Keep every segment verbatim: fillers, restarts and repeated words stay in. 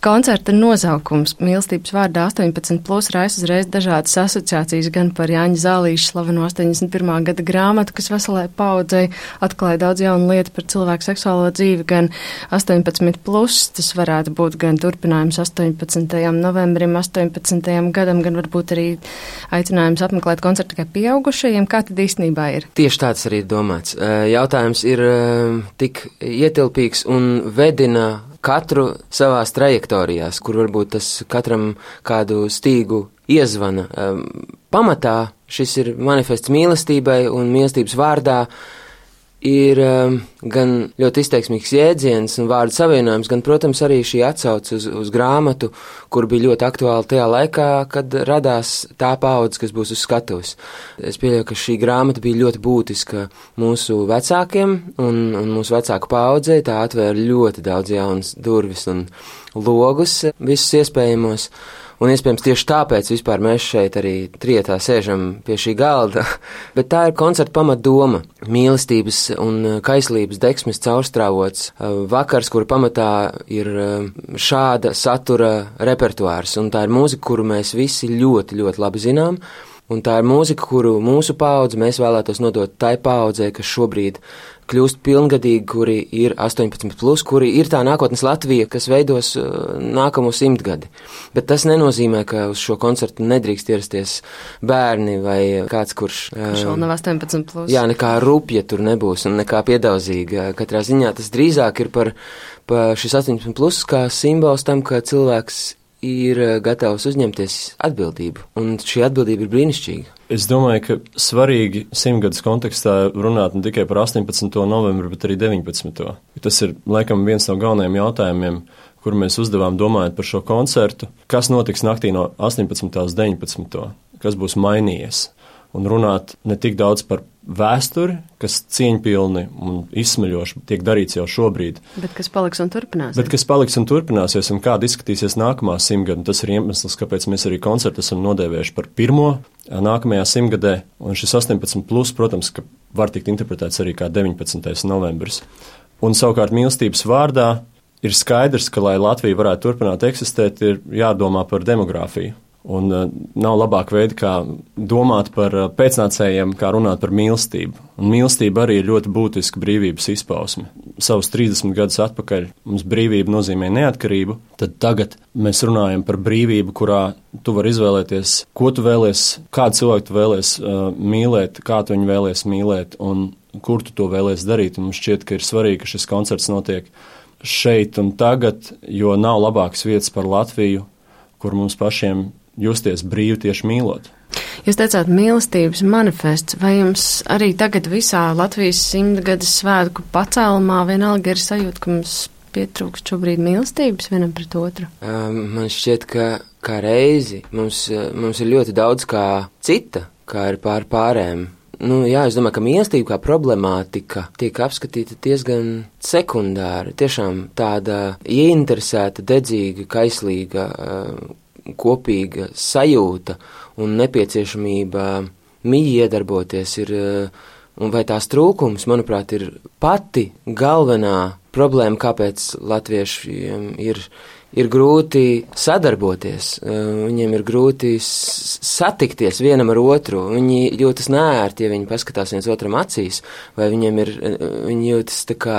Koncerta nosaukums mīlestības vārdā astoņpadsmit plus raisa uzreiz dažādas asociācijas gan par Jāņa Zālīša slaveno astoņdesmit pirmā gada grāmatu, kas veselai paudzei atklāja daudz jaunu lietu par cilvēku seksuālo dzīvi, gan astoņpadsmit plus, tas varētu būt gan turpinājums astoņpadsmitajam novembrim, astoņpadsmitajam gadam, gan varbūt arī aicinājums apmeklēt koncertu tikai pieaugušajiem. Kā tad īstenībā ir? Tieši tāds arī ir domāts. Jautājums ir tik ietilpīgs un vedina katru savās trajektorijās, kur varbūt tas katram kādu stīgu iezvana. Pamatā šis ir manifests mīlestībai, un mīlestības vārdā ir gan ļoti izteiksmīgs jēdziens un vārdu savienojums, gan, protams, arī šī atsauce uz, uz grāmatu, kur bija ļoti aktuāla tajā laikā, kad radās tā paudze, kas būs uz skatuves. Es pieļauju, ka šī grāmata bija ļoti būtiska mūsu vecākiem un, un mūsu vecāku paudzei. Tā atvēra ļoti daudz jaunas durvis un logus visus iespējamos. Un iespējams tieši tāpēc vispār mēs šeit arī trietā sēžam pie šī galda. Bet tā ir koncerta pamatdoma. Mīlestības un kaislības deksmes caurstrāvots vakars, kura pamatā ir šāda satura repertuārs. Un tā ir mūzika, kuru mēs visi ļoti, ļoti labi zinām. Un tā ir mūzika, kuru mūsu paudze mēs vēlētos nodot tai paudzei, kas šobrīd kļūst pilngadīgi, kuri ir astoņpadsmit plus, kuri ir tā nākotnes Latvija, kas veidos nākamo simtgadi. Bet tas nenozīmē, ka uz šo koncertu nedrīkst ierasties bērni vai kāds, kurš... Kurš vēl nav astoņpadsmit plus. Jā, nekā rupja tur nebūs un nekā piedauzīga. Katrā ziņā tas drīzāk ir par, par šis astoņpadsmit plus kā simbols tam, ka cilvēks ir gatavs uzņemties atbildību, un šī atbildība ir brīnišķīga. Es domāju, ka svarīgi simtgadus kontekstā runāt ne tikai par astoņpadsmito novembri, bet arī deviņpadsmito Tas ir, laikam, viens no galvenajiem jautājumiem, kur mēs uzdevām domājot par šo koncertu. Kas notiks naktī no astoņpadsmitā uz deviņpadsmito Kas būs mainījies? Un runāt ne tik daudz par vēsturi, kas cieņpilni un izsmeļoši tiek darīts jau šobrīd. Bet kas paliks un turpināsies. Bet kas paliks un turpināsies, un kāda izskatīsies nākamā simtgada. Tas ir iemesls, kāpēc mēs arī koncertu esam nodēvējuši par pirmo nākamajā simtgadē. Un šis astoņpadsmit plus, protams, ka var tikt interpretēts arī kā deviņpadsmitais novembris. Un savukārt mīlestības vārdā ir skaidrs, ka, lai Latvija varētu turpināt eksistēt, ir jādomā par demogrāfiju. Un uh, nav labāka veida, kā domāt par uh, pēcnācējiem, kā runāt par mīlestību. Un mīlestība arī ir ļoti būtiska brīvības izpausme. Savus trīsdesmit gadus atpakaļ mums brīvība nozīmē neatkarību, tad tagad mēs runājam par brīvību, kurā tu vari izvēlēties, ko tu vēlies, kādu cilvēku tu vēlies uh, mīlēt, kā tu viņu vēlies mīlēt un kur tu to vēlies darīt. Un mums šķiet, ka ir svarīgi, ka šis koncerts notiek šeit un tagad, jo nav labākas vietas par Latviju, kur mums pašiem justies brīvi tieši mīlot. Jūs teicāt mīlestības manifests, vai jums arī tagad visā Latvijas simtgades svētku pacēlumā vienalga ir sajūta, ka mums pietrūkst šobrīd mīlestības vienam pret otru? Um, man šķiet, ka kā reizi mums, mums ir ļoti daudz kā cita, kā ir pār pārējiem. Nu, jā, es domāju, ka mīlestība kā problemātika tiek apskatīta diezgan sekundāri. Tiešām tāda ieinteresēta, dedzīga, kaislīga, uh, kopīga sajūta un nepieciešamība mīgi iedarboties ir, un vai tās trūkums, manuprāt, ir pati galvenā problēma, kāpēc latviešiem ir, ir grūti sadarboties, viņiem ir grūti satikties vienam ar otru, viņi jūtas neērti, ja viņi paskatās viens otram acīs, vai viņiem ir, viņi jūtas tā kā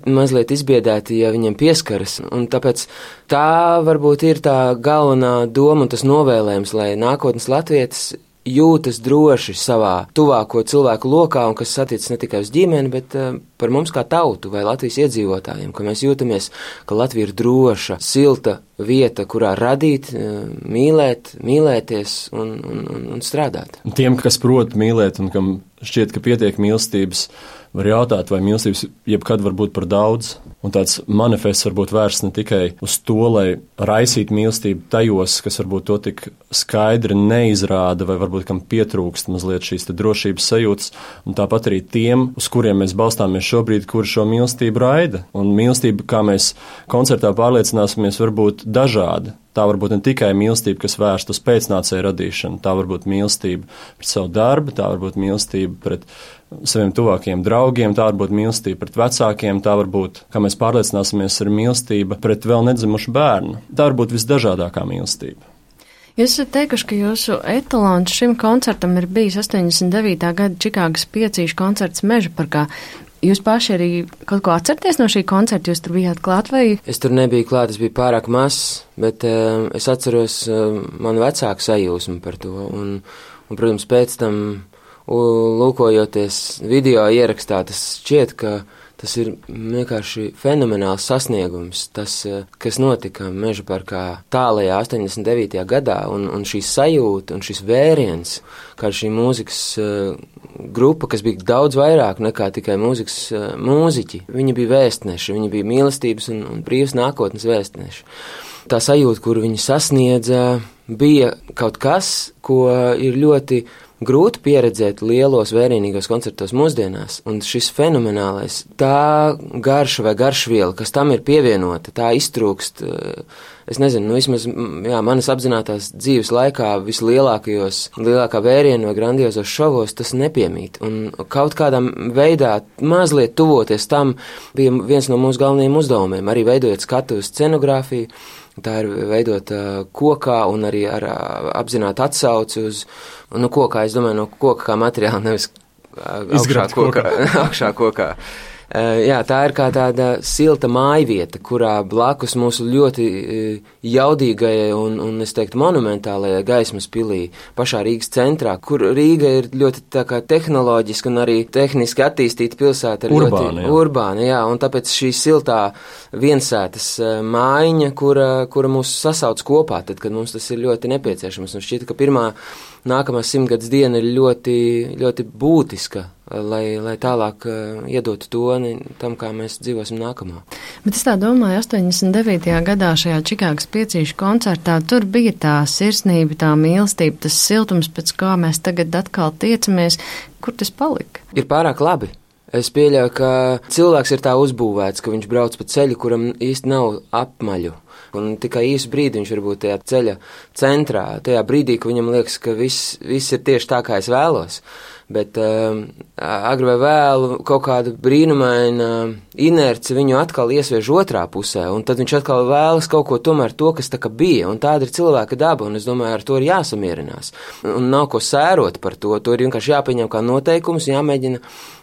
mazliet izbiedēti, ja viņiem pieskaras, un tāpēc tā varbūt ir tā galvenā doma un tas novēlējums, lai nākotnes latvietis jūtas droši savā tuvāko cilvēku lokā, un kas attiecas ne tikai uz ģimeni, bet uh, par mums kā tautu vai Latvijas iedzīvotājiem, ka mēs jūtamies, ka Latvija ir droša, silta vieta, kurā radīt, uh, mīlēt, mīlēties un, un, un, un strādāt. Tiem, kas prot mīlēt un kam šķiet, ka pietiek mīlestības, var jautāt, vai mīlestības jebkad var būt par daudz. Un tāds manifests var būt vērsts ne tikai uz to, lai raisītu mīlestību tajos, kas varbūt to tik skaidri neizrāda, vai varbūt kam pietrūkst mazliet šīs te drošības sajūtas, un tāpat arī tiem, uz kuriem mēs balstāmies šobrīd, kur šo mīlestību raida. Un mīlestība, kā mēs koncertā pārliecināsimies, var būt dažāda. Tā var būt ne tikai mīlestība, kas vērsta uz pēcnācēju radīšanu, tā var būt mīlestība pret savu darbu, tā var būt mīlestība pret saviem tuvākajiem draugiem, tā var būt mīlestība pret vecākiem, tā var būt, kā mēs pārliecināsimies, ir mīlestība pret vēl nedzimušu bērnu. Tā var būt visdažādākā mīlestība. Jūs esat teikuši, ka jūsu etalons šim koncertam ir bijis astoņdesmit devītā gada Čikāgas piecīšu koncerts Meža parkā. Jūs paši arī kaut ko atcerieties no šī koncerta, jūs tur bijāt klāt vai? Es tur nebiju klāt, es biju pārāk mazs, bet uh, es atceros uh, manu vecāku sajūsmu par to. Un, un, protams, pēc tam, lūkojoties video ierakstā, tas šķiet, ka tas ir vienkārši fenomenāls sasniegums, tas, kas notika Meža parkā tālajā astoņdesmit devītajā gadā, un, un šī sajūta un šis vēriens, kā šī mūzikas uh, grupa, kas bija daudz vairāk nekā tikai mūzikas uh, mūziķi. Viņi bija vēstneši, viņi bija mīlestības un, un brīvas nākotnes vēstneši. Tā sajūta, kuru viņi sasniedza, bija kaut kas, ko ir ļoti grūti pieredzēt lielos vērienīgos koncertos mūsdienās, un šis fenomenālais, tā garša vai garšviela, kas tam ir pievienota, tā iztrūkst, es nezinu, nu vismaz, jā, manas apzinātās dzīves laikā vislielākajos, lielākā vēriena vai grandiozos šovos tas nepiemīt, un kaut kādā veidā mazliet tuvoties tam bija viens no mūsu galvenajiem uzdevumiem, arī veidojot skatuves scenogrāfiju. Tā ir veidota kokā un arī ar apzinātu atsauci uz, nu, kokā, es domāju, no koka kā materiāla, nevis augšā kokā. augšā kokā. Jā, tā ir kā tāda silta mājvieta, kurā blakus mūsu ļoti jaudīgajai un, un es teiktu, monumentālajai Gaismas pilī, pašā Rīgas centrā, kur Rīga ir ļoti tā kā tehnoloģiski un arī tehniski attīstīta pilsēta. Urbāna, ļoti jā. Urbāna, jā, un tāpēc šī siltā viensētas mājiņa, kura, kura mūs sasauc kopā, tad, kad mums tas ir ļoti nepieciešams. Un šķiet, ka pirmā nākamā simtgadus diena ir ļoti, ļoti būtiska, lai, lai tālāk uh, iedotu toni tam, kā mēs dzīvosim nākamā. Bet es tā domāju, astoņdesmit devītajā gadā šajā Čikāgas piecīšu koncertā tur bija tā sirsnība, tā mīlestība, tas siltums, pēc kā mēs tagad atkal tiecamies. Kur tas palika? Ir pārāk labi. Es pieļauju, ka cilvēks ir tā uzbūvēts, ka viņš brauc pa ceļu, kuram īsti nav apmaļu. Un tikai īsu brīdi viņš var būt tajā ceļa centrā, tajā brīdī, ka viņam liekas, ka viss, viss ir tieši tā, kā es vēlos. Bet uh, agri vai vēlu kaut kāda brīnumaina inerce viņu atkal iesviež otrā pusē, un tad viņš atkal vēlas kaut ko tomēr to, kas tā kā bija, un tāda ir cilvēka daba, un es domāju, ar to ir jāsamierinās. Un nav ko sērot par to, to ir vienkārši jāpieņem kā noteikums, jāmēģina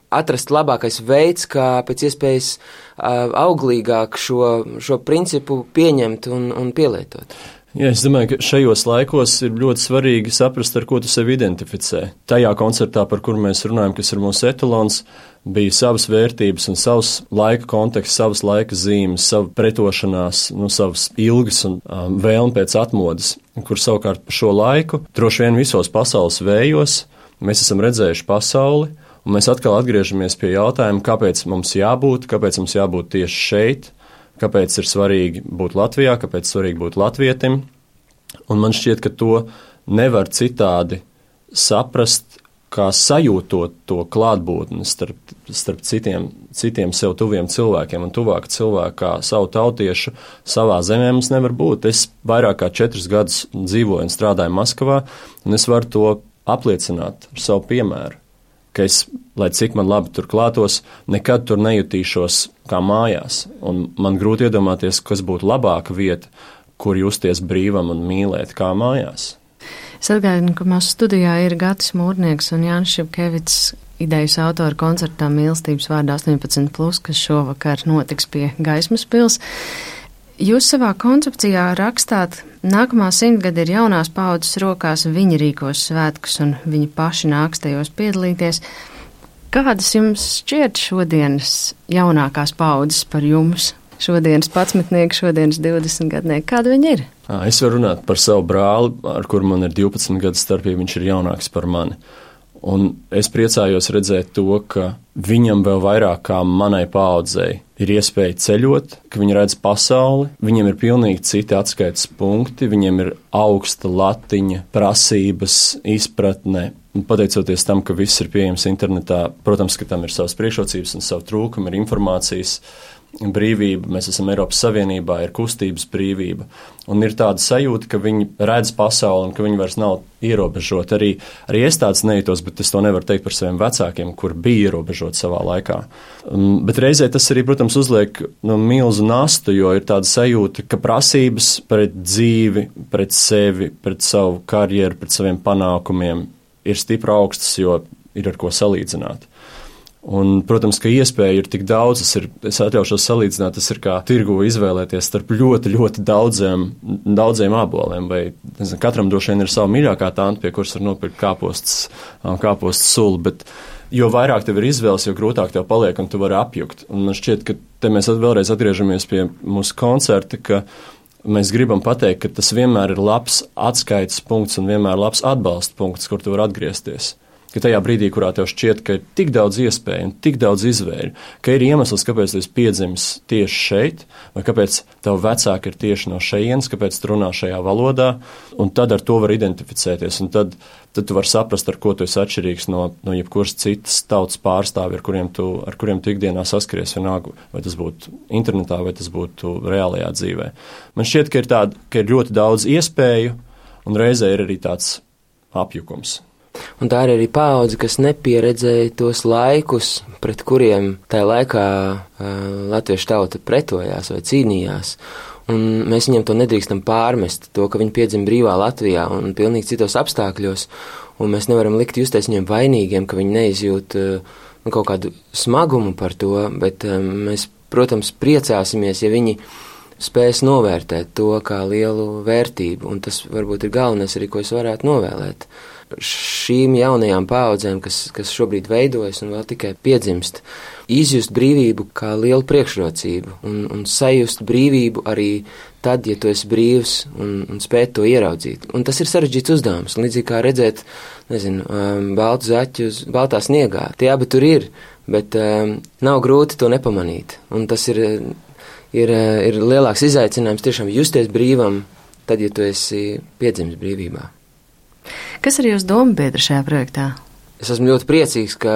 atrast labākais veids, kā pēc iespējas uh, auglīgāk šo, šo principu pieņemt un, un pielietot. Jā, es domāju, ka šajos laikos ir ļoti svarīgi saprast, ar ko tu sevi identificē. Tajā koncertā, par kuru mēs runājam, kas ir mūsu etalons, bija savas vērtības un savs laika konteksts, savas laika zīmes, sava pretošanās, nu, savas ilgas un um, vēlme pēc atmodas, kur savukārt pa šo laiku, droši vien visos pasaules vējos, mēs esam redzējuši pasauli, un mēs atkal atgriežamies pie jautājuma, kāpēc mums jābūt, kāpēc mums jābūt tieši šeit, kāpēc ir svarīgi būt Latvijā, kāpēc svarīgi būt latvietim. Un man šķiet, ka to nevar citādi saprast, kā sajūtot to klātbūtni starp, starp citiem, citiem sev tuviem cilvēkiem un tuvāk cilvēku kā savu tautiešu savā zemē mums nevar būt. Es vairāk kā četrus gadus dzīvoju un strādāju Maskavā, un es varu to apliecināt ar savu piemēru. Ka es, lai cik man labi tur klātos, nekad tur nejutīšos kā mājās. Un man grūti iedomāties, kas būtu labāka vieta, kur justies brīvam un mīlēt kā mājās. Es atgādinu, ka mūsu studijā ir Gatis Mūrnieks un Jānis Šepkevits, idejas autori koncertā Mīlestības vārdā astoņpadsmit plus, kas šovakar notiks pie Gaismas pils. Jūs savā koncepcijā rakstāt, nākamā simtgada ir jaunās paudzes rokās, viņi rīkos svētkus un viņi paši nāks tajos piedalīties. Kādas jums šķiet šodienas jaunākās paudzes par jums? Šodienas padsmitnieki, šodienas divdesmitgadnieki, kāda viņi ir? Es varu runāt par savu brāli, ar kuru man ir divpadsmit gadu starpība, viņš ir jaunāks par mani. Un es priecājos redzēt to, ka viņam vēl vairāk kā manai paaudzei ir iespēja ceļot, ka viņi redz pasauli, viņiem ir pilnīgi citi atskaites punkti, viņiem ir augsta latiņa, prasības, izpratne. Un pateicoties tam, ka viss ir pieejams internetā, protams, ka tam ir savas priekšrocības un savu trūkumu, ir informācijas brīvība, mēs esam Eiropas Savienībā, ir kustības brīvība, un ir tāda sajūta, ka viņi redz pasauli un ka viņi vairs nav ierobežoti. Arī, arī es tāds nejūtos, bet es to nevaru teikt par saviem vecākiem, kur bija ierobežoti savā laikā. Um, bet reizē tas arī, protams, uzliek no milzu nastu, jo ir tāda sajūta, ka prasības pret dzīvi, pret sevi, pret savu karjeru, pret saviem panākumiem ir stipri augstas, jo ir ar ko salīdzināt. Un, protams, ka iespēja ir tik daudz, es, ir, es atļaušos salīdzināt, tas ir kā tirgu izvēlēties starp ļoti, ļoti daudziem, daudziem āboliem, vai nezinu, katram droši vien ir sava mīļākā tanta, pie kuras var nopirkt kāpostas, kāpostas sulu, bet jo vairāk tev ir izvēles, jo grūtāk tev paliek, un tu vari apjukt. Un man šķiet, ka te mēs vēlreiz atgriežamies pie mūsu koncerta, ka mēs gribam pateikt, ka tas vienmēr ir labs atskaites punkts un vienmēr labs atbalsta punkts, kur tu vari atgriezties. Ka tajā brīdī, kurā tev šķiet, ka ir tik daudz iespēju un tik daudz izvēļu, ka ir iemesls, kāpēc tu esi piedzimis tieši šeit, vai kāpēc tavu vecāki ir tieši no šejienes, kāpēc tu runā šajā valodā, un tad ar to var identificēties, un tad, tad tu vari saprast, ar ko tu esi atšķirīgs no, no jebkuras citas tautas pārstāvi, ar kuriem tu, ar kuriem tu ikdienā saskaries vienalga, vai tas būtu internetā, vai tas būtu reālajā dzīvē. Man šķiet, ka ir, tāda, ka ir ļoti daudz iespēju, un reizē ir arī tāds apjukums. Un tā ir arī paudze, kas nepieredzēja tos laikus, pret kuriem tajā laikā uh, latviešu tauta pretojās vai cīnījās. Un mēs viņam to nedrīkstam pārmest, to, ka viņi piedzima brīvā Latvijā un pilnīgi citos apstākļos, un mēs nevaram likt justies viņiem vainīgiem, ka viņi neizjūt uh, nu, kaut kādu smagumu par to, bet um, mēs, protams, priecāsimies, ja viņi spēs novērtēt to kā lielu vērtību, un tas varbūt ir galvenais arī, ko es varētu novēlēt šīm jaunajām paaudzēm, kas, kas šobrīd veidojas un vēl tikai piedzimst, izjust brīvību kā lielu priekšrocību un, un sajust brīvību arī tad, ja tu esi brīvs un, un spēt to ieraudzīt. Un tas ir sarežģīts uzdevums, līdzīgi kā redzēt, nezinu, um, baltu zaķu uz baltā sniegā. Tie abi tur ir, bet um, nav grūti to nepamanīt. Un tas ir, ir, ir lielāks izaicinājums tiešām justies brīvam tad, ja tu esi piedzimis brīvībā. Kas ir jūsu doma biedri šajā projektā? Es esmu ļoti priecīgs, ka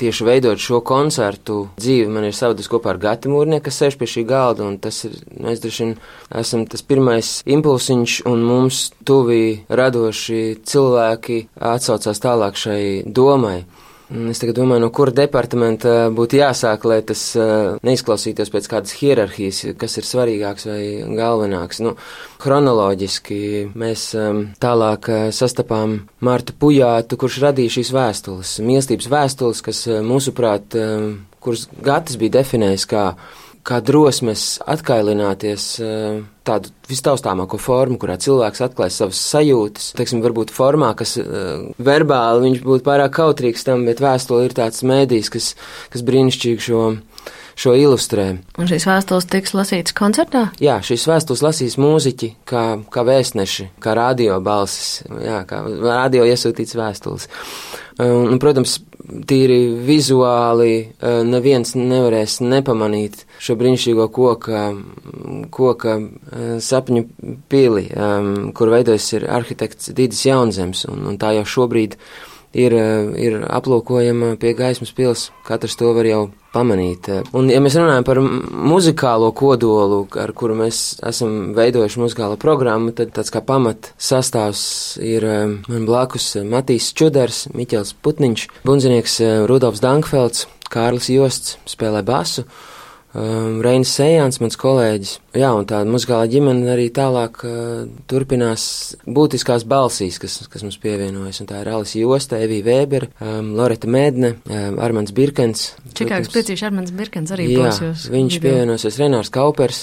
tieši veidot šo koncertu dzīvi man ir savadus kopā ar Gati Mūrnieku, kas sēž pie šī galda, un tas ir, mēs droši vien esam tas pirmais impulsiņš, un mums tuvi radoši cilvēki atsaucās tālāk šai domai. Es tagad domāju, no kura departamenta būtu jāsāk, lai tas neizklausītos pēc kādas hierarhijas, kas ir svarīgāks vai galvenāks. Nu, chronoloģiski mēs tālāk sastapām Martu Pujātu, kurš radīja šīs vēstules, mīlestības vēstules, kas mūsuprāt, kuras Gatis bija definējis kā kā drosmes atkailināties tādu vistaustāmāko formu, kurā cilvēks atklāj savas sajūtas. Teiksim, varbūt formā, kas uh, verbāli viņš būtu pārāk kautrīgs tam, bet vēstule ir tāds mēdījis, kas, kas brīnišķīgi šo, šo ilustrē. Un šīs vēstules tiks lasītas koncertā? Jā, šīs vēstules lasīs mūziķi kā, kā vēstneši, kā radio balsis, jā, kā radio iesūtīts vēstules. Un, un, protams, tīri vizuāli neviens nevarēs nepamanīt šo brīnišķīgo koka, koka sapņu pili, kur veidojas ir arhitekts Dīdis Jaunzems, un, un tā jau šobrīd ir, ir aplūkojama pie Gaismas pils. Katrs to var jau pamanīt. Un, ja mēs runājam par muzikālo kodolu, ar kuru mēs esam veidojuši muzikālo programmu, tad tāds kā pamat sastāvs ir man blakus Matīs Čudars, Miķels Putniņš, bundzinieks Rudolfs Dankfelds, Kārlis Josts spēlē basu, Um, Reinis Sejāns, mans kolēģis. Jā, un tā muzikālā ģimene arī tālāk uh, turpinās būtiskās balsīs, kas, kas mums pievienojas. Un tā ir Alis Josta, Evija Vēbera, um, Loreta Mēdne, um, Armands Birkens. Čikāgas priecīši Armands Birkens arī jā, būs jūs. Jā, viņš video. Pievienosies, Renārs Kaupers.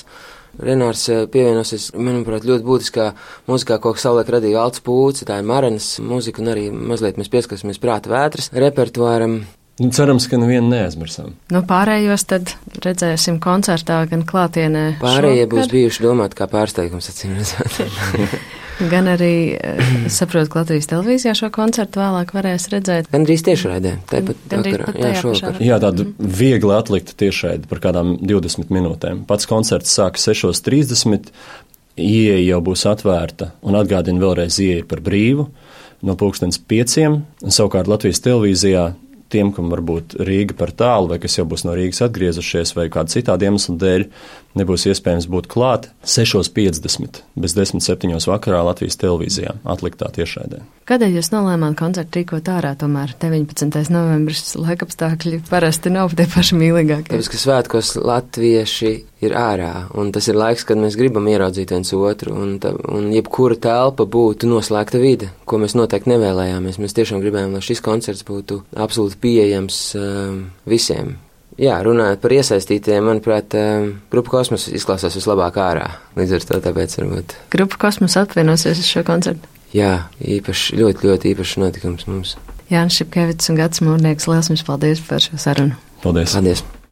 Renārs pievienosies, manuprāt, ļoti būtiskā mūzikā, ko savulaik radīja Valds Pūce, tā ir Marenas mūzika, un arī mazliet mēs pieskarsimies Prāta vētras repertuāram. Cerams, ka nevienu neaizmirsām. Nu, pārējos tad redzēsim koncertā gan klātienē. Pārējie šokar. Būs bijuši domāti kā pārsteigums, acīm redzot. Gan arī, es saprotu, ka Latvijas televīzijā šo koncertu vēlāk varēs redzēt. Gan drīz tiešraidē, tāpat vakarā, jā, šovakar. Jā, tāda viegli atlikta tiešraide par kādām divdesmit minūtēm. Pats koncerts sāka sešos trīsdesmit, ieeja jau būs atvērta, un atgādina vēlreiz ieeja par brīvu no pulkstens pieciem, un savukārt Latvijas televīzijā tiem, kam varbūt Rīga par tālu, vai kas jau būs no Rīgas atgriezušies, vai kāda citāda iemesla dēļ, nebūs iespējams būt klāt sešos piecdesmit bez desmit septiņos vakarā Latvijas televīzijā atliktā tiešraidē. Kādēļ jūs nolēmāt koncertu rīkot ārā tomēr? deviņpadsmitais novembris laikapstākļi parasti nav tie paši mīlīgākie. Tāpēc, ka svētkos latvieši ir ārā, un tas ir laiks, kad mēs gribam ieraudzīt viens otru, un, tā, un jebkura telpa būtu noslēgta vide, ko mēs noteikti nevēlējāmies. Mēs tiešām gribējām, lai šis koncerts būtu absolūti pieejams um, visiem. Jā, runājot par iesaistītiem, manuprāt, Grupa Kosmos izklausās vislabāk ārā. Līdz ar to tāpēc varbūt. Grupa Kosmos apvienosies uz šo koncertu? Jā, īpaši, ļoti, ļoti īpašs notikums mums. Jānis Šipkevits un Gatis Mūrnieks, liels jums paldies par šo sarunu. Paldies. Paldies.